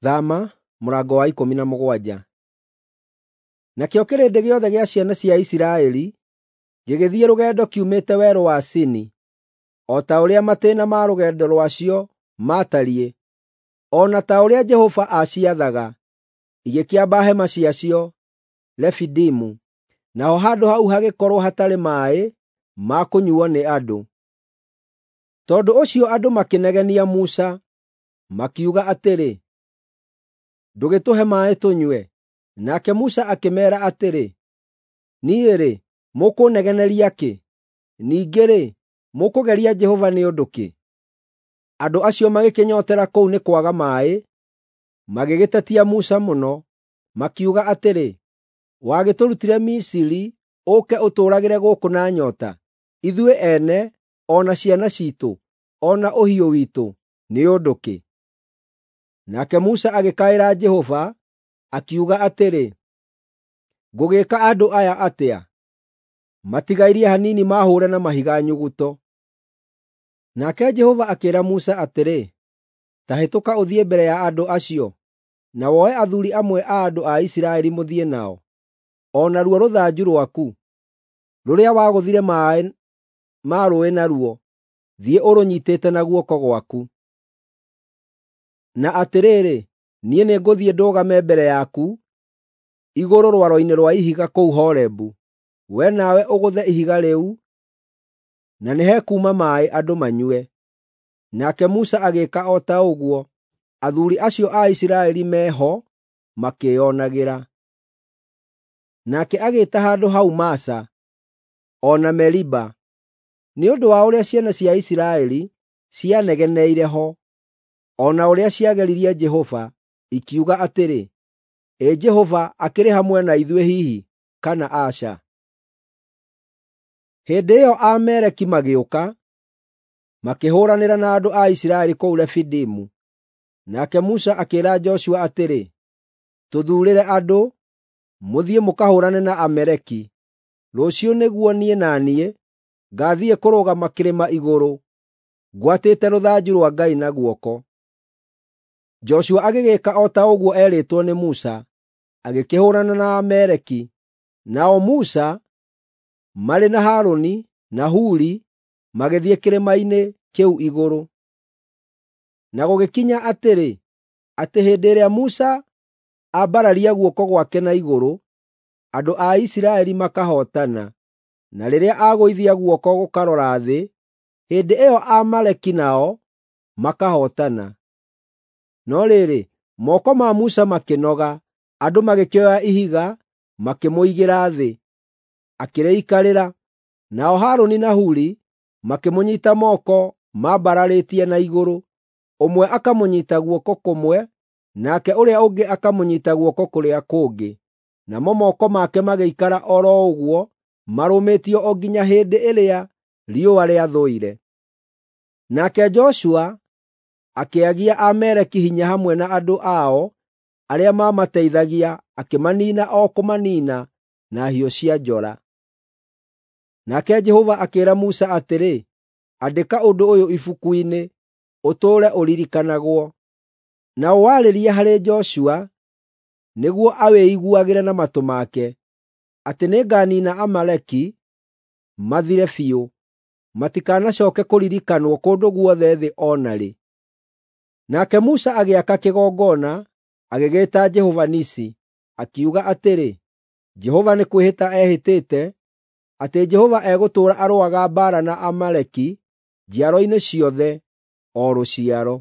Thama mũrango wa 17. Nakĩo kĩrĩndĩ gĩothe gĩa ciana cia Isiraeli gĩgĩthiĩ rũgendo kiumĩte werũ wa Sini, o ta ũrĩa matĩĩna ma rũgendo rwacio maatariĩ, o na ta ũrĩa Jehova aaciathaga, igĩkĩamba hema ciacio Refidimu, naho handũ hau hagĩkorwo hatarĩ maaĩ ma kũnyuuo nĩ andũ. Tondũ ũcio andũ makĩnegenia Musa, makiuga atĩrĩ, “Ndũgĩtũhe maaĩ tũnyue.” Nake Musa akĩmeera atĩrĩ, “Niĩ-rĩ, mũkũnegeneria kĩ? Ningĩ-rĩ, mũkũgeria Jehova nĩ ũndũ kĩ?” Andũ acio magĩkĩnyootera kũu nĩ kwaga maaĩ, magĩgĩtetia Musa mũno, makiuga atĩrĩ, “Wagĩtũrutire Misiri ũũke ũtũũragĩre gũkũ na nyoota, ithuĩ ene, o na ciana ciitũ, o na ũhiũ witũ, nĩ ũndũ kĩ?” Nake Musa agĩkaĩra Jehova, akiuga atĩrĩ, “Ngũgĩĩka andũ aya atĩa? Matigairie hanini maahũũre na mahiga nyuguto.” Nake Jehova akĩĩra Musa atĩrĩ, “Ta hĩtũka ũthiĩ mbere ya andũ acio, na woe athuuri amwe a andũ a Isiraeli mũthiĩ nao, o naruo rũthanju rwaku, rũrĩa wagũthire maaĩ ma rũũĩ naruo, thiĩ ũrũnyiitĩte na guoko gwaku. Na atĩrĩrĩ, niĩ nĩngũthiĩ ndũgame mbere yaku igũrũ rwaro-inĩ rwa ihiga kũu Horebu. Wee nawe ũgũthe ihiga rĩu, na nĩhekuuma maaĩ andũ manyue.” Nake Musa agĩĩka o ta ũguo, athuuri acio a Isiraeli me ho makĩĩonagĩra. Nake agĩĩta handũ hau Masa, o na Meriba, nĩ ũndũ wa ũrĩa ciana cia Isiraeli cianegeneire ho, o na ũrĩa ciageririe Jehova, ikiuga atĩrĩ, “Ĩ Jehova akĩrĩ hamwe na ithuĩ hihi, kana aca?” Hĩndĩ ĩyo Aamaleki magĩũka, makĩhũũranĩra na andũ a Isiraeli kũu Refidimu. Nake Musa akĩĩra Joshua atĩrĩ, “Tũthuurĩre andũ, mũthiĩ mũkahũũrane na Amaleki. Rũciũ nĩguo niĩ na niĩ ngaathiĩ kũrũgama kĩrĩma igũrũ ngwatĩte rũthanju rwa Ngai na guoko.” Joshua agĩgĩĩka o ta ũguo eerĩtwo nĩ Musa, agĩkĩhũũrana na Aamaleki. Nao Musa marĩ na Harũni na Huri magĩthiĩ kĩrĩma-inĩ kĩu igũrũ. Na gũgĩkinya atĩrĩ, atĩ hĩndĩ ĩrĩa Musa aambararia guoko gwake na igũrũ, andũ a Isiraeli makahootana, na rĩrĩa agũithia guoko gũkarora thĩ, hĩndĩ ĩyo Aamaleki nao makahootana. No rĩrĩ, moko ma Musa makĩnoga, andũ magĩkĩoya ihiga makĩmũigĩra thĩ, akĩrĩikarĩra. Nao Harũni na Huri makĩmũnyiita moko mambararĩtie na igũrũ, ũmwe akamũnyiita guoko kũmwe, nake ũrĩa ũngĩ akamũnyiita guoko kũrĩa kũngĩ. Namo moko make magĩikara o ro ũguo marũmĩtio o nginya hĩndĩ ĩrĩa riũa rĩathũire. Nake Joshua akĩagia Aamaleki hinya hamwe na andũ ao arĩa maamateithagia, akĩmaniina o kũmaniina na hiũ cia njora. Nake Jehova akĩĩra Musa atĩrĩ, “Andĩka ũndũ ũyũ ibuku-inĩ, ũtũũre ũririkanagwo, na ũwarĩrie harĩ Joshua nĩguo awĩiguagĩre na matũ make, atĩ nĩnganiina Amaleki mathire biũ, matikanacooke kũririkanwo kũndũ guothe thĩ o na rĩ.” Nake Musa agĩaka kĩgongona, agĩgĩĩta Jehova-Nisi, akiuga atĩrĩ, “Jehova nĩ kwĩhĩta ehĩtĩte atĩ Jehova egũtũũra arũaga mbaara na Amaleki njiaro-inĩ ciothe, o rũciaro.”